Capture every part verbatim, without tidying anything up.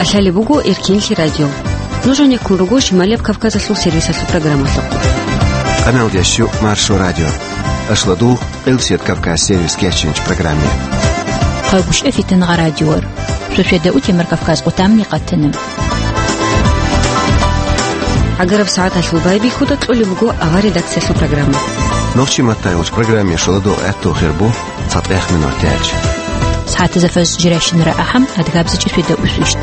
Лъалеб буго Эркинлъи радио. Нуж гьанеккун руго Шималияб Кавказалъул сервисалъул программалъухъ. Канал дящу Маршо радио. Ашладугъ Къилсият Кавказ сервис кечинч программе. Къагушев Фитангъа радиор. Шошеда утемар Кавказ къутамни къатана. Агараб сагӀаталъул байбихьуда кьолеб буго авар редакциялъул программа. Нохчи маттайгъуч программе шоладугъ гӀатту хирбу. ЦатӀех минут тяч. СагӀатазда фаз жирайщинара ахӀам, адгабзичӀи сведа усвищт.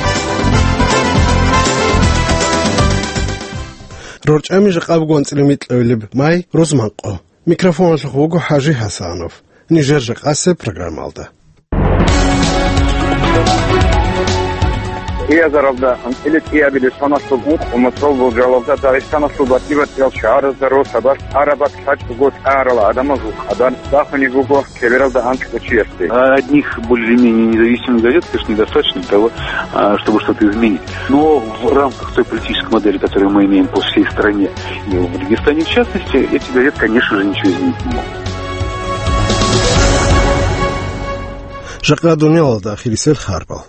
РорчӀами жакъа буго анцӀила микьабилеб май, рузманкъо. Микрофоналъухъ вуго ХӀажи ХӀасанов. Нижер жакъасеб программалда. КӀиазаралда анцӀила кӀиабилеб соналъул ункъо метрал болжалалда Дагъистаналъул батӀи-батӀиял шагьаразда росабалъ арабат лъачӀого тӀагӀарал гӀадамазул къадар бахунеб буго. Кебералда анкьго чиясде. А одних более или менее независимых газет, конечно, недостаточно для того, а, чтобы что-то изменить. Но в рамках той политической модели, которую мы имеем по всей стране и в Дагестане в частности, эти газеты, конечно же, ничего изменить не могут. Жакъа дуниялалда ахирисел харбал.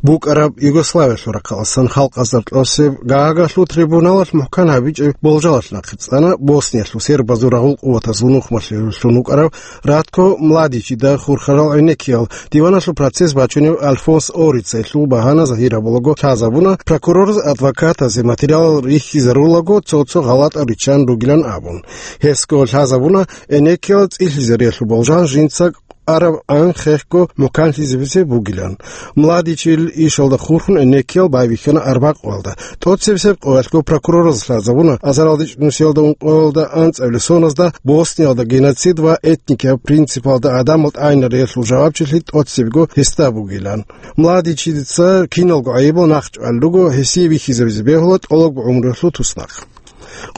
БукӀараб Югославиялъул рахъалъасан халкъазда кьосеб Гаагалъул трибуналалъ мухӀкан гьабичӀеб болжалалъ нахъе цӀана Босниялъул сербазул рагъул къуватазул нухмалъулъун вукӀарав Ратко Младичида хурхарал гӀенеккиял диваналъул процесс бачунев Альфонс Орицайилъул багьана загьир гьабулаго лъазабуна, прокурораз адвокатазе материалал рихьизарулаго цо-цо гъалатӀал риччан ругилан абун. Гьесго лъазабуна, гӀенеккиял цӀилъизариялъул болжан жинца араб ан хехго муканлъизабизе бугилан. Младичил ишалда хурхун гӀенеккиял байбихьана арбакъуялда. ТӀоцебесеб къоялъго прокурораз лъазабуна, азаралдечӀ нусиялда ункъоялда анцӀабилеб соназда Босниялда геноцид ва этникияб принципалда гӀадамал тӀайнариялъул жавабчилъи тӀоцебго гьесда бугилан. Младичица киналго гӀайибал нахъчӀвал руго, гьесие бихьизабизе бегьула тӀолабго гӀумруялъул туснахъ.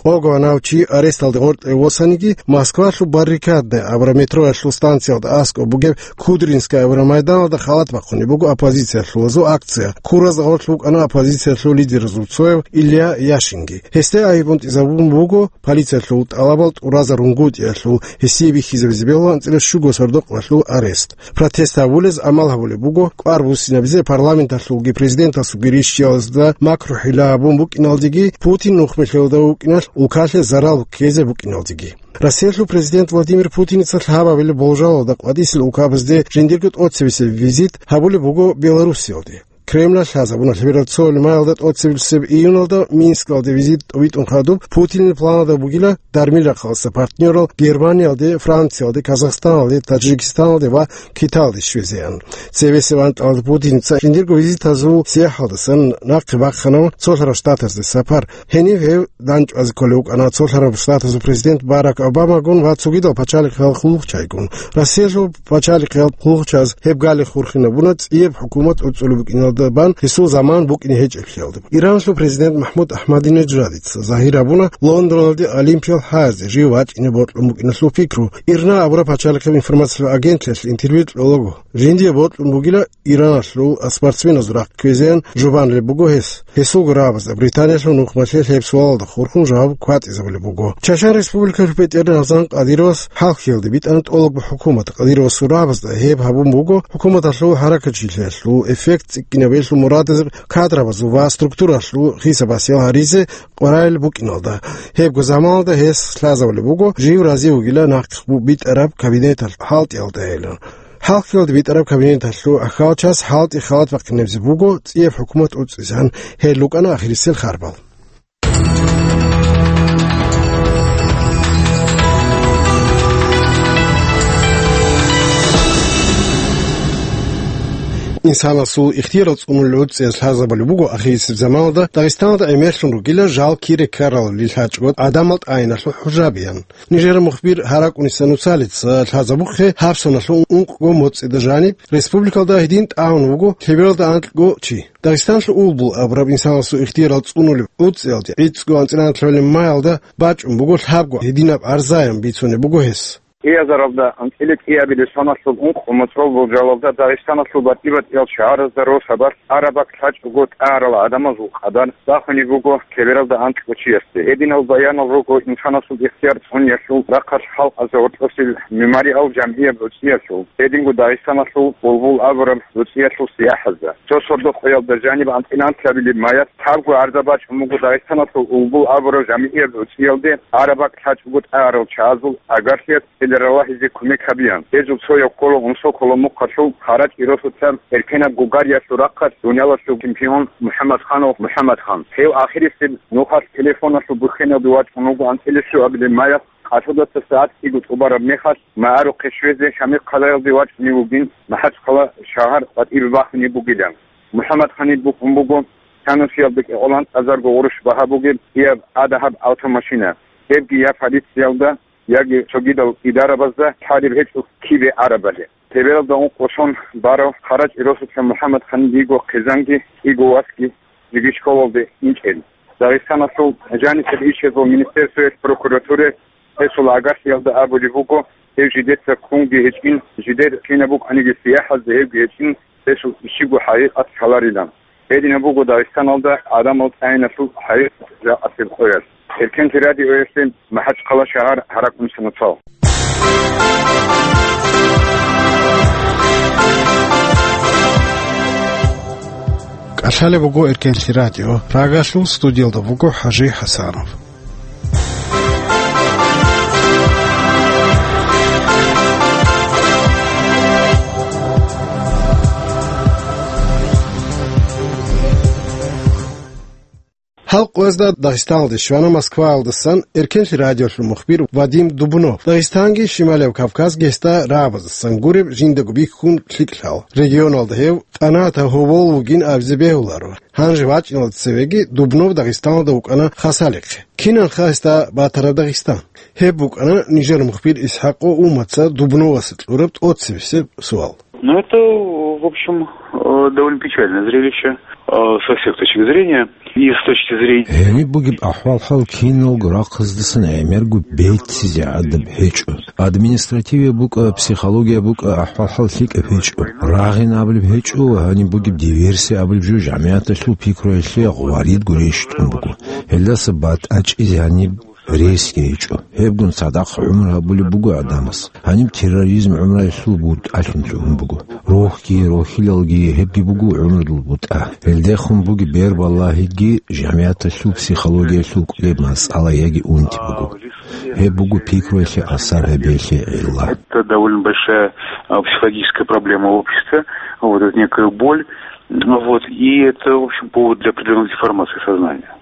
Къого гьанав чи аресталде гъоркье восаниги, Москвалъул Баррикадная абураб метроялъул станциялда аскӀоб бугеб Кудринская абураб майданалда халат бахъунеб буго оппозициялъулазул акция. Куразда гъорлъ вукӀана оппозициялъул лидерзул цояв Илья Яшинги. Гьесде гӀайиб бунтӀизабун буго полициялъул тӀалабал тӀуразарун гутӀиялъул, гьесие бихьизабизе бегьула анцӀила щуго сордо-къоялъул арест. Протест гьабулез амал гьабулеб буго кӀвар буссинабизе парламенталъулги президенталъулги рищиялазда макру-хӀила гьабун букӀиналдеги, Путин нухмелъелда вукӀиналъ улкалъе зарал ккезе букӀиналдеги. Россиялъул президент Владимир Путиница лъабабилеб болжалалда къватӀисел улкабазде жиндирго тӀоцебесеб визит гьабулеб буго Белоруссиялде. Кремлалъ лъазабуна лъеберал цо лимаялда тӀоцебесеб июналда Минскалде визит витӀун хадуб, Путинил планада бугила дармил рахъалъа партнерал Германиялде, Франциялде, Казахстаналде, Таджикистаналде ва Киталде щвезеян. Цебесеб анкьалда Путиница жиндирго визитазул сехӀалдасан нахъе бахъана Цолъараб Штатазде сапар. Гьенив гьев данчӀвазе кколев вукӀана Цолъараб Штатазул президент Барак Обамагун ва цогидал пачалихъал хъулухъчайгун. Россиялъул пачалихъал хъулухъчаз гьеб гали хурхинабуна цӀияб хӀукумат уцӀцӀулеб букӀиналда бан гьесул заман букӀине гьечӀеблъиялда. Иранлъул президент МахӀмуд Ахмадинежадица загьир гьабуна Лондоналде Олимпиял гьаязде жив вачӀине бокьун букӀиналъул пикру. ИРНА абураб пачалихъаб информациялъул агентлъиялъ интервью кьолаго. Жиндие бокьун бугила Ираналъул спортсменазул рахъ кквезеян жубанлъи буго гьес. Гьесул гурабазда Британиялъул нухмалъе гьеб суалалда хурхун жаваб кватӀизабулеб буго. Чачан Республикалъул бетӀер Рамзан Кадыровас хӀалхьиялде битӀана тӀолабго хӀукумат Кадыровасул рабазда гьеб гьабун буго хӀукуматалъул хӀаракатчилъиялъул эффект цӀикӀкӀинабиялъул мурадаз кадрабазул ва структуралъул хисабасиял гьаризе къваригӀел букӀиналда. Гьебго заманалда гьес лъазабулеб буго жив рази вугила нахъ бу-, битӀараб кабинеталъ хӀалтӀиялдайилан. ХӀалхьиялде битӀараб кабинеталъул ахьалчас хӀалтӀи халат бахъинабизе буго цӀияб хӀукумат уцӀцӀизан, гьел рукӀана ахирисел харбал. Инсанасул ихтиярал цӀунулел уцӀцӀиялъ лъазабулеб буго ахирисеб заманалда Дагъистаналда гӀемерлъун ругила жал кире ккаралли лъачӀого гӀадамал тӀайиналъул хӀужабиян. Нижер мухбир Гьаракуниса Нуцалица лъазабухъе гьаб соналъул ункъго моцӀида жаниб республикалда гьедин тӀагӀун вуго лъебералда анкьго чи. Дагъистанлъул Улбул абураб инсанасул ихтиярал цӀунулеб уцӀцӀиялде гӀицӀго анцӀила анлъабилеб маялда бачӀун буго лъабго гьединаб гӀарзаян бицунеб буго гьес. Кьиазаралда анцӀила кӀиабилеб соналъул ункъго моцӀрол болжалалда Дагъистаналъул батӀи-батӀиял шагьаразда росабалъ араб бакӀ лъачӀого тӀагӀарал гӀадамазул къадар бахунеб буго кебералда анкьго чиясде. Гьединал баянал руго инсанасул ихтияр цӀуниялъул рахъалъ халкъазда гьоркьосел мемориал жамгӀияб гӀуцӀиялъул, гьединго Дагъистаналъул Булбул абураб гӀуцӀиялъул сияхӀазда. Цо сордо къоялда жаниб анцӀила анлъабилеб майас лъабго гӀарза бачӀун буго Дагъистаналъул Булбул абураб жамгӀияб гӀуцӀиялде араб бакӀ лъачӀого тӀагӀарал чагӀазул агарлъиялъ. Гьеле ралагьизе кумек гьабеян. Гьезул цояв ккола Унсоколо мухъалъул гьарачӀи росулъа эркенаб гугариялъул рахъалъ дуниялалъул чемпион МухӀаммадханов МухӀаммадхан. Гьев ахирисеб нухалъ телефоналъул бухьеналде вачӀун вуго анцӀила щуабилеб майас, къалъудаса сагӀат кӀиго тӀубараб мехалъ, магӀарухъе щвезе Шамил хъалаялде вачӀунев вугин, МахӀачхъала шагьар батӀибе бахунеб бугилан. МухӀаммадханил букӀун буго Чанусиялда кӀикъоялда тӀазарго гъурущ багьа бугеб кӀияб А дагьаб автомашина. Гьебги я полициялда, яги цогидал идарабазда лъалеб гьечӀо кибе арабали. Кебералда ункъго сон барав гьарачӀи росулъа МухӀаммадханил йиго хъизанги, кӀиго васги жеги школалде инчӀел. Дагъистаналъул жанисел ишазул министерствоялъ, прокуратураялъ гьесул агарлъиялда абулеб буго, гьев жидеца ккунги гьечӀин, жидер кинаб букӀаниги сияхӀазда гьевги гьечӀин, гьесул ищиго хӀакъикъат лъаларилан. Гьединаб буго Дагъистаналда гӀадамал цӀайиналъул хӀакъикъат жакъасеб къоялъ. Эркенлъи радиоялъе, МахӀачхъала шагьар, Гьаракь Мусинацал. КӀалъалеб буго Эркенлъи радио. Прагалъул студиялда буго ХӀажи ХӀасанов. Гьал къоязда Дагъистаналде щвана Москваялдасан Эркенлъи радиолъул мухбир Вадим Дубнов. Дагъистанги Шималияб Кавказ гьесда рагӀабаздасан гуреб жиндаго бихьун лъикӀлъал. Регионалда гьев къанагӀатав гьобол вугин абизе бегьуларо. Гьанже вачӀиналда цевеги Дубнов Дагъистаналда вукӀана хасалихъе. Кинанха гьесда батараб Дагъистан? Гьеб букӀана нижер мухбир ИсхӀакъо Умаца Дубноваса кьураб тӀоцебесеб суал. Ну, это, в общем, э, довольно печальное зрелище, э, со всех точек зрения. И с точки зрения... Гьениб бугеб ахӀвал-хӀал киналго рахъаздасан гӀемерго беццизе гӀадаб гьечӀо. Административияб букӀа, психологияб букӀа, ахӀвал-хӀал лъикӀаб гьечӀо. Рагъин абулеб гьечӀо ва гьаниб бугеб диверсия абулеб жо жамигӀаталъул пикруялъе гъваридго рещтӀун буго. Гьелдаса батӀа чӀезе гьаниб ресги гьечӀо. Гьебгун цадахъ гӀумру гьабулеб буго гӀадамас. Гьаниб терроризм гӀумруялъул бутӀалъун лъугьун буго. Рохьги, рохьилалги гьебги буго гӀумрудул бутӀа. Гьелдехун бугеб бербалагьиги жамигӀаталъул психологиялъул кӀудеб масъала яги унти буго. Гьеб буго пикруялъе асар гьабиялъе гӀилла. Это довольно большая, а, психологическая проблема общества. Вот, это некая боль. Вот, и это, в общем, повод для определённой деформации сознания.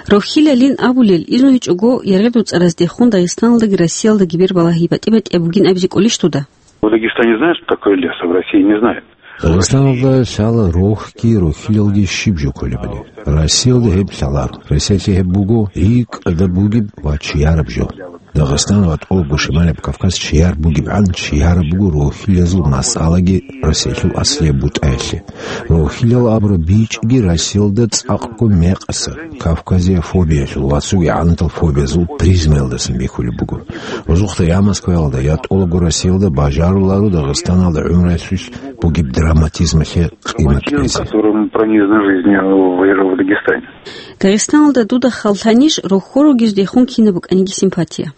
Рохьилалин абулел изну гьечӀого, яргъи-дуцӀараздехун Дагъистаналдаги Россиялдаги бербалагьи батӀи-батӀияб бугин абизе кӀолищ дуда? В Дагестане знают, что такое лес, а в России не знают. Дагъистаналда лъала рохьги рохьилалги щиб жо кколебали. Россиялда гьеб лъаларо. Россиялъе гьеб буго гӀикӀкӀадаб бугеб ва чияраб жо. Дагъистан ва тӀолабго Шималияб Кавказ чияр бугебгӀан чияраб буго рохьилазул масъалаги Россиялъул аслияб бутӀаялъе. Рохьилал абураб бичӀчӀиги Россиялда цӀакъго мекъаса, кавказиафобиялъул ва цоги гӀадатал фобиязул призмаялдасан бихьулеб буго. Рузухъда я Москваялда, я тӀолабго Россиялда бажаруларо Дагъистаналда гӀумруялъулъ бугеб драматизмалъе къимат кьезе. Которым пронизана жизнь в, в Дагестане. Дагъистаналда дуда хал лъанищ рохьо ругездехун кинаб букӀаниги симпатия?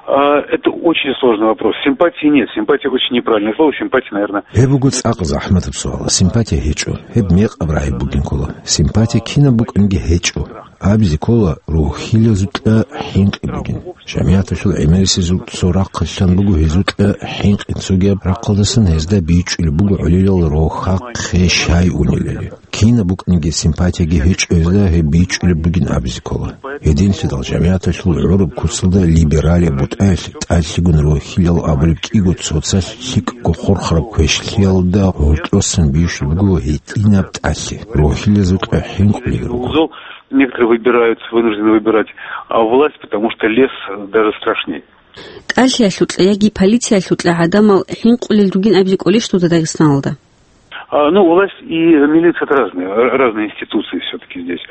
А, это очень сложный вопрос. Симпатии нет. Симпатия очень неправильное слово. Симпатия, наверное... Гьеб буго цӀакъ захӀматаб суал. Симпатия гьечӀо. Гьеб мекъаб рагӀи бугин ккола. Симпатия кинаб букӀаниги гьечӀо. Абизе ккола, рохьилазукьа хӀинкъи бугин. ЖамигӀаталъул гӀемерисезул цо рахъалъан буго гьезукьа хӀинкъи, цогияб рахъалдасан гьезда бичӀчӀулеб буго гӀолилал рохьахъе щай унелали. Кинаб букӀаниги симпатияги гьечӀо гьезда гьеб бичӀчӀулеб бугин абизе ккола. Гьединлъидал жамигӀаталъул гӀураб куцалда либералияб бутӀаялъе тӀалъигун рохьилал абулеб кӀиго цоцалъ лъикӀго хурхараб квешлъиялда гьоркьосан бищун буго гьитӀинаб тӀалъи, рохьилазукьа хӀинкъулел руго. Некоторые выбирают, вынуждены выбирать, а, власть, потому что лес даже страшнее. ТӀалъиялъукьа яги полициялъукьа гӀадамал хӀинкъулел ругин абизе кӀолищ дуда Дагъистаналда? А, ну, власть и милиция — это разные, р-, разные институции всё-таки здесь,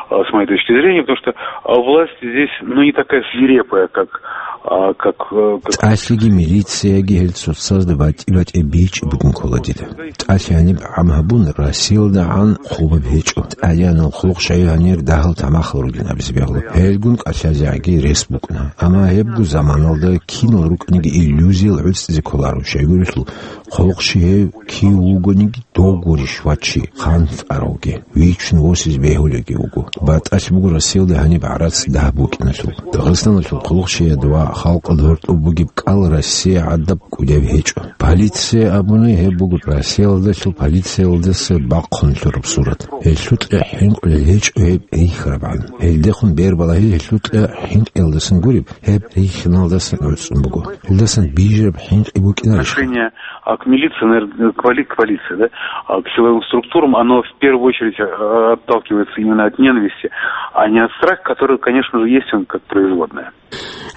а, с моей точки зрения, потому что, а, власть здесь, ну, не такая свирепая, как А как, э, как ТӀалъиги милицияги гьел цоцазда батӀи-батӀи бичӀчӀи бугин ккола дида. ТӀалъи гьаниб гӀам гьабун, РоссиялдагӀан хъубаб гьечӀо. ТӀадегӀанал хъулухъ щай гьанир дагьал тамахал ругин абизе бегьула. Гьелгун кӀалъазегӀаги рес букӀуна. Амма гьебго заманалда кинал рукӀаниги иллюзиял гӀуцӀизе кколаро, щайгурелъул хъулухъщи гьев кив вугониги дов гурищ вачи хъантӀаравги, вичун восизе бегьулевги вуго. БатӀалъи буго Россиялда гьаниб гӀарац дагь букӀиналъул. Дагъистаналъул хъулухъщияд ва халкъалда гьоркьоб бугеб кӀал Россия гӀадаб кӀудеб гьечӀо. Полиция абуни, гьеб буго Россиялдалъул полициялдаса бахъун лъураб сурат. Гьелъул кье хӀинкъулел гьечӀо гьеб рихьарабгӀан. Гьелдехун бербалагьи гьелъул кье хӀинкъиялдасан гуреб, гьеб рихьиналдасан гӀуцӀун буго. Гьелдасан бижараб хӀинкъи букӀинарищ? Отношение, а, к милиции, наверное, к поли-, к полиции, да, а, к силовым структурам, оно в первую очередь, а, отталкивается именно от ненависти, а не от страха, который, конечно же, есть он как производная.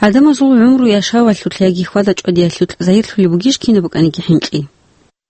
ГӀадамазул гӀумру яшавалъулъ яги хьвада-чӀвадиялъулъ загьирлъулеб бугищ кинаб букӀаниги хӀинкъи?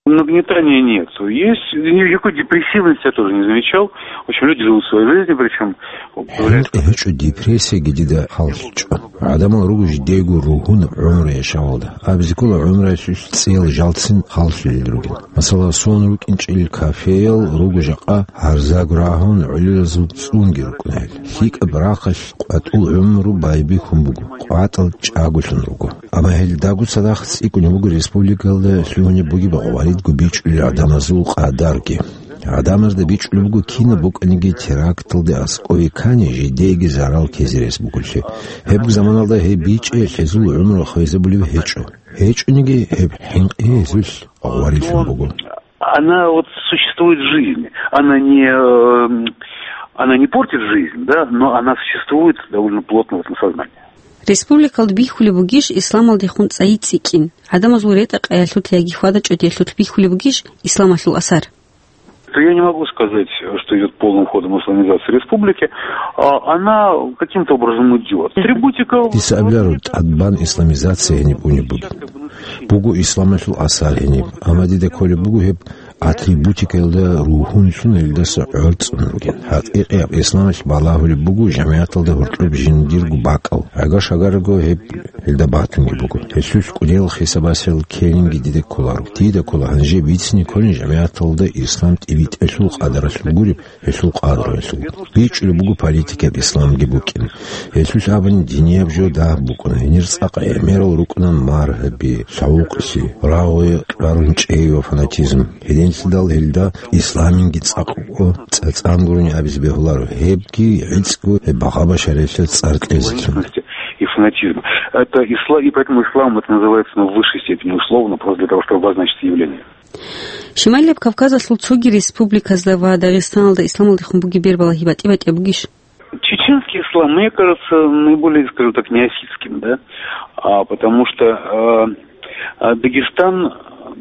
Нагнетания нет. Есть, никакой депрессивности я тоже не замечал. В общем, люди живут своей жизнью, причем появляются ХӀинкъи гьечӀо депрессияги дида хӀалчӀо. ГӀадамал руго жидейго ругьунаб гӀумру яшавалда. Абизе ккола гӀумруялъулъ цӀиял жалцин халлъулел ругел. Масала, сон рукӀинчӀел кафеял руго жакъа гьарзаго рагьун гӀолилазул цӀунги рукӀунел. ЛъикӀаб рахъалъ къватӀул гӀумру байбихьун буго, къватӀал чӀаголъун руго. Амма гьелдаго цадахъ цӀикӀкӀунеб буго республикалда лъугьунеб бугеб гъваридго бичӀчӀулел гӀадамазул къадарги. ГӀадамазда бичӀчӀулеб буго кинаб букӀаниги теракталде аскӀове ккани жидееги зарал ккезе рес бугелъи. Гьеб заманалда гьеб бичӀчӀиялъ гьезул гӀумру хвезабулеб гьечӀо. ГьечӀониги гьеб хӀинкъи гьезулъ гъварилъун буго. Она вот существует в жизни. Она не, э, она не портит жизнь, да, но она существует довольно плотно вот на сознании. Республикалда бихьулеб бугищ исламалдехун цӀайи цӀикӀкӀин? ГӀадамазул ретӀа-къаялъулъ яги хьвада-чӀвадиялъулъ бихьулеб бугищ исламалъул асар? То я не могу сказать, что идёт полным ходом исламизация республики. А, она каким-то образом идёт. Атрибутика... Дица абиларо, тӀадбан исламизация гьениб унеб бугин. Буго исламалъул асар гьениб. Амма дида кколеб буго гьеб атрибутикаялда ругьунлъун гьелдаса гӀорцӀун ругин. ХӀакъикъияб исламалъ балагьулеб буго жамигӀаталда гьоркьоб жиндирго бакӀал. Гьагаш-гьагарго гьеб гьелда батунги буго. Гьелъулъ кӀудиял хисабасел ккелинги дида кколаро. Дида ккола гьанже бицине кколин жамигӀаталда ислам тӀибитӀелъул къадаралъул гуреб, гьелъул къадралъул. БичӀчӀулеб буго политикаб исламги букӀин. Гьелъулъ абуни динияб жо дагь букӀуна, гьенир цӀакъ гӀемерал рукӀуна маргьаби, лъавукълъи, рагъуе кьварун чӀей ва фанатизм. Гьединлъидал гьелда исламинги цӀакъго цӀацӀан гурони абизе бегьуларо, гьебги гӀицӀго гьеб багъа-башариялъе цӀар кьезелъун. И фанатизм. Это исла-, и поэтому исламом это называется, ну, в высшей степени условно, просто для того, чтобы обозначить явление. Шималияб Кавказалъул цоги республиказда ва Дагъистаналда исламалдехун бугеб бербалагьи батӀи-батӀияб бугищ? Чеченский ислам, мне кажется, наиболее, скажем так, неофитским, да? А, потому что, э, а, Дагестан,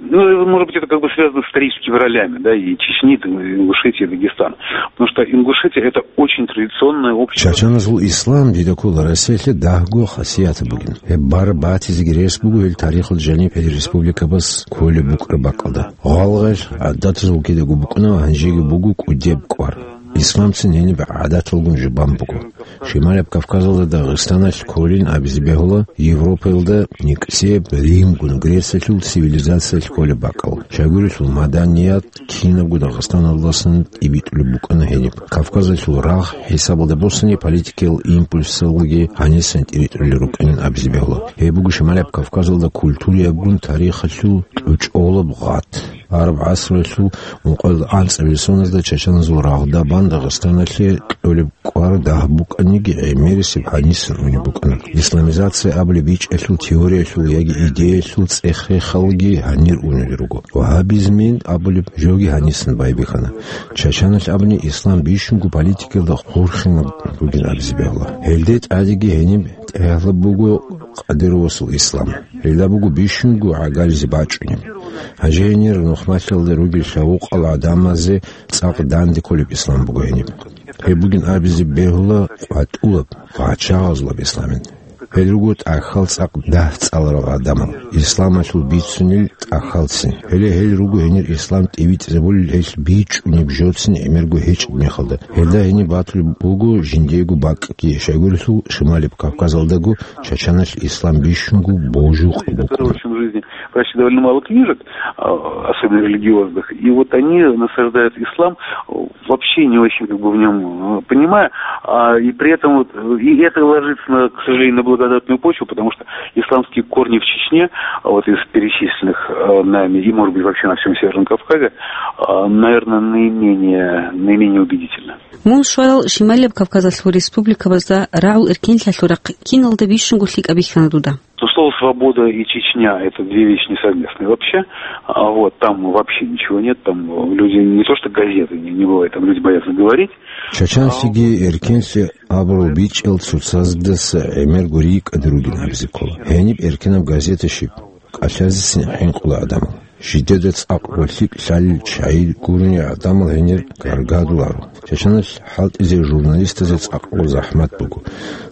ну, может быть, это как бы связано с историческими ролями, да, и Чечни, и Ингушетии, и Дагестана. Потому что Ингушетия — это очень традиционное общество. Чачаназул ислам дида ккола Россиялъе дагьго хасият бугин. Гьеб бар батизеги рес буго гьел тарихалда жаниб гьел республикабаз кколеб букӀараб бакӀалда. Гъалгъай гӀадатазул кидаго букӀуна ва гьанжеги буго кӀудеб кӀвар. Исламцин гьениб гӀадаталгун жубан буго. Шималаб Кавказалда Дагъистаналъ кколин абизе бегьула Европаялда никсияб Римгун Грециялъул цивилизациялъ кколеб бакӀал. Щайгурелъул маданият кинабго Дагъистаналдасан тӀибитӀулеб букӀана гьениб. Кавказалъул рагъ хӀисабалда босани политикиял импульсалги гьанисан тӀибитӀулел рукӀанин абизе бегьула. Гьеб буго Шималаб Кавказалда культуриябгун тарихалъул кьучӀолаб гъат. Гьараб гӀасруялъул ункъоялда анцӀабилеб соназда чачаназул рагъда бан Дагъистаналъе кьолеб кӀвар дагь букӀаниги гӀемерисеб гьанисан унеб букӀана. Исламизация абулеб бичӀчӀиялъул теориялъул яги идеялъул цӀех-рехалги гьанир унел руго. Вагьабизмин абулеб жоги гьанисан байбихьана. Чачаналъ абуни ислам бищунго политикаялда хурхинаб бугин абизе бегьула. Гьелде тӀадеги гьениб тӀегьлаб буго Къадыровасул ислам. Гьелда буго бищунго гӀагализе бачӀунеб. Гьанже гьенир нухмалъиялда ругел лъавукъал гӀадамазе цӀакъ данде кколеб ислам буго гьениб. Гьеб бугин абизе бегьула къватӀулаб, гъачагъазулаб исламин. Гьел руго тӀахьал цӀакъ дагь цӀаларал гӀадамал, исламалъул бицунел тӀахьалцин. Гьеле гьел руго гьенир ислам тӀибитӀизабулел гьелъ бичӀчӀунеб жоцин гӀемерго гьечӀеб мехалда. Гьелда гьениб батулеб буго жиндиего бакӀги, щайгурелъул Шималеб Кавказалдаго Чачаналъ ислам бищунго божукъ букӀуна. Которого в жизни прочли довольно мало книжек, а, особенно религиозных. И вот они насаждают ислам, а, вообще не очень как бы в нём, э, понимая. А, и при этом вот, э, и это ложится, на, к сожалению, на благодатную почву, потому что исламские корни в Чечне, а, вот из перечисленных, э, нами, и, может быть, вообще на всём Северном Кавказе, а, наверное, наименее, наименее убедительны. Мун щварал Шималияб Кавказалъул республикабазда рагӀул эркенлъиялъул рахъ киналда бищунго лъикӀаб бихьана дуда. Ну, слово «свобода» и Чечня — это две вещи несовместные вообще. А вот там вообще ничего нет, там, э, люди не то что газеты, не, не бывает, там люди боятся говорить. Чачанлъиги эркенлъи абурал бичӀчӀал цоцаздаса гӀемерго рикӀкӀад ругин абизе ккола. Гьениб эркенаб газета щиб? Кьалъазецин хӀинкъула гӀадамал. Жидеда цӀакъ ва лъикӀ лъалел чагӀи гурони гӀадамал гьенир гаргадуларо. Чачаналъ хӀалтӀизе журналистазе цӀакъго захӀмат буго.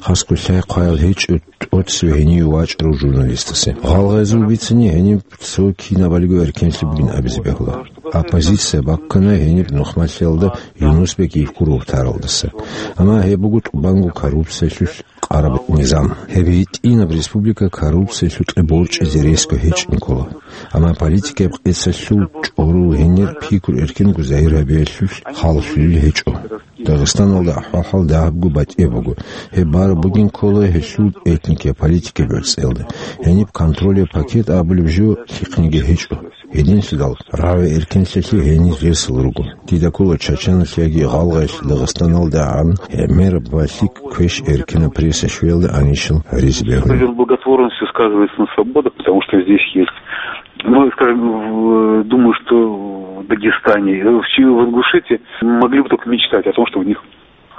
Хасго лъай-хъваял гьечӀо тӀоцеве гьениве вачӀарав журналистасе. Гъалгъайзул бицани гьениб цо кинабалиго эркенлъи бугин абизе бегьула. Оппозиция баккана гьениб нухмалъиялда Юнусбек Евкуров таралдаса. Амма гьеб буго тӀубанго коррупциялъулъ къараб низам. Гьеб гьитӀинаб республика коррупциялъукьа борчӀизе ресго гьечӀин ккола. Амма политикаяб къецалъул чӀорул гьенир пикру эркенго загьир гьабиялъулъ халлъулел гьечӀо. Дагъистаналда ахӀвал-хӀал дагьабго батӀияб буго. Гьеб бараб бугин ккола гьелъул этникияб, политикияб гӀорцӀиялда. Гьениб контролияб пакет абулеб жо лъихъниги гьечӀо. Гьединлъидал рагӀи эркенлъиялъе гьенир ресал руго. Дида ккола Чачаналъ яги Гъалгъаялъ ДагъистаналдагӀан гӀемераб ва лъикӀ квеш эркенаб пресса щвеялда гьанищал гьаризе бегьула. Благотворностью сказывается на свободах, потому что здесь есть, ну, скажем, в-, думаю, что в Дагестане, э, в Чи-, в Ингушетии могли бы только мечтать о том, что у них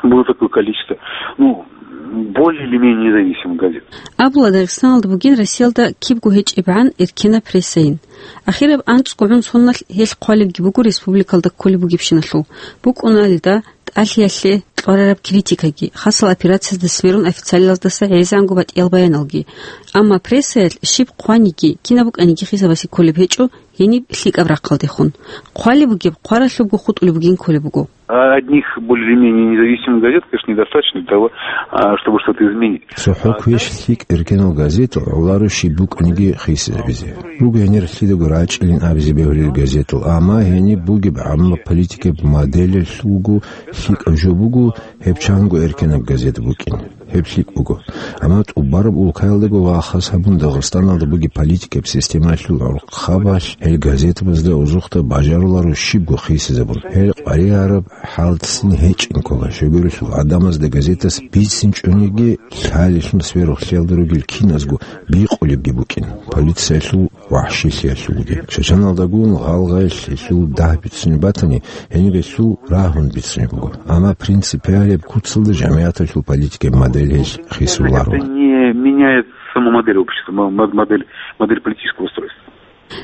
было такое количество, ну, более или менее независимых газет. Абула Дагъистаналда бугин Россиялда кибго гьечӀебгӀан эркенаб прессайин. Ахираб анцӀго гӀун соналъ гьелъ хъвалебги буго республикалда кколеб бугебщиналъул. БукӀуналда тӀалъиялъе кьварараб критикаги, хасал операциязда сверун официаллаздаса гӀезанго батӀиял баяналги. Амма прессаялъ щиб хъваниги, кинаб букӀаниги хисабасе кколеб гьечӀо, гьениб лъикӀаб рахъалдехун. Хъвалеб бугеб хъваралъубго хутӀулеб бугин кколеб буго. А одних более-менее независимых газет, конечно, недостаточно для того, а, чтобы что-то изменить. ЦохӀо квеш лъикӀ эркенал газет гӀоларо щиб букӀаниги хисизабизе. Руго гьенир лъидаго рачӀилин абизе бегьулел газетал, амма гьениб бугеб гӀамма политикаб моделалъулго лъикӀаб жо буго гьеб чанго эркенаб газет букӀин. Гьеб лъикӀ буго. Амма тӀубараб улкаялдаго ва хас гьабун Дагъистаналда бугеб политикаб системалъул гӀурхъабалъ гьел газетабазда узухъда бажаруларо щибго хисизабун. Гьел къваригӀараб хӀалцин гьечӀин ккола, щайгурелъул гӀадамазда газетас бицинчӀониги лъалелъун сверухълъиялда ругел киназго бикъулебги букӀин. Полициялъул вагьшилъиялъулги. Чачаналдагун Гъалгъаялъ гьелъул дагь бицунеб батани, гьениб гьелъул рагьун бицунеб буго. Амма принципиалияб куцалда жамигӀаталъул политикаб модель гьелъ хисуларо. Это не меняет саму модель общества, мо-, мо-, модель, модель политического устройства.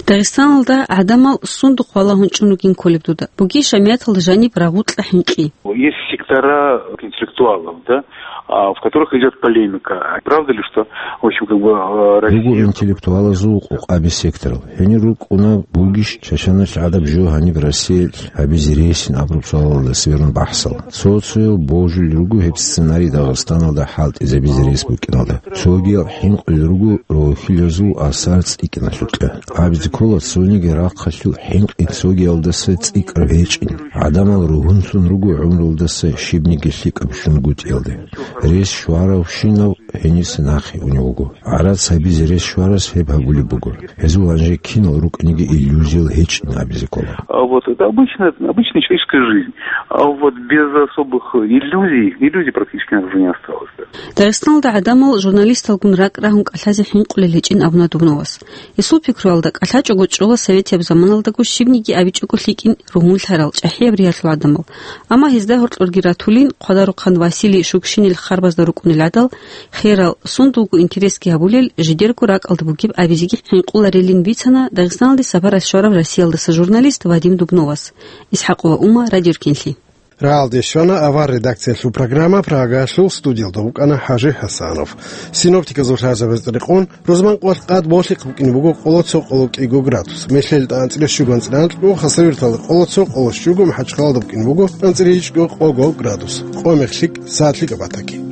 Дагъистаналда гӀадамал сундухъ валагьун чӀун ругин кколеб дуда. Бугищ жамигӀаталда жаниб рагъукьа хӀинкъи? Есть сектора интеллектуалов, да, а, в которых идёт полемика. Правда ли, что, в общем, как бы, э, Россия... Буго интеллектуалазул къукъаби секторал. Гьенир рукӀуна бугищ Чачаналъ гӀадаб жо гьаниб Россиялъ гьабизе рейсин абураб суалалда сверун бахӀсал. Цо-цоял божулел руго гьеб сценарий Дагъистаналда хӀалтӀизабизе рес букӀиналда. Цогиял хӀинкъулел руго рохьилазул асар цӀикӀкӀиналъукьа. Абизе ккола цониги рахъалъул хӀинкъи цогиялдаса цӀикӀкӀараб гьечӀин. ГӀадамал ругьунлъун руго гӀумруялдаса щибниги лъикӀаб щунгутӀиялде. Рес щваравщинав гьениса нахъе унев вуго. ГӀарац гьабизе рес щварас гьеб гьабулеб буго. Гьезул гьанже кинал рукӀаниги иллюзиял гьечӀин абизе ккола. А вот это обычная, обычная человеческая жизнь. А вот без особых иллюзий, иллюзий практически у нас уже не осталось, да. Дагъистаналда гӀадамал журналисталгун ракӀ рагьун кӀалъазе хӀинкъулел гьечӀин абуна Дубновас. Гьесул пикруялда, кӀалъачӀого чӀола советияб заманалдаго щибниги абичӀого лъикӀин ругьунлъарал чӀахӀияб ригьалъул гӀадамал. Амма гьезда гьоркьорги ратулин, хъвадарухъан Василий Шукшинил харбазда рукӀунел гӀадал, херал, сундулго интересги гьабулел, жидерго ракӀалда бугеб абизеги хӀинкъуларилин бицана Дагъистаналде сапаралъ щварав Россиялдаса журналист Вадим Дубновас. Исхьакъова Ума, Радио Эркенлъи. Рагьалде щвана авар редакциялъул программа, Прагаялъул студиялда вукӀана ХӀажи ХӀасанов. Синоптиказул лъазабазда рекъон, рузман къоялъ къад болъихъ букӀине буго къоло цо къоло кӀиго градус, Мелъелда анцӀила щуго анцӀила анкьго, Хасавюрталда къоло цо къоло щуго, МахӀачхъалада букӀине буго анцӀила ичӀго къого градус. Къо мех лъикӀ, сагӀат лъикӀаб батаги.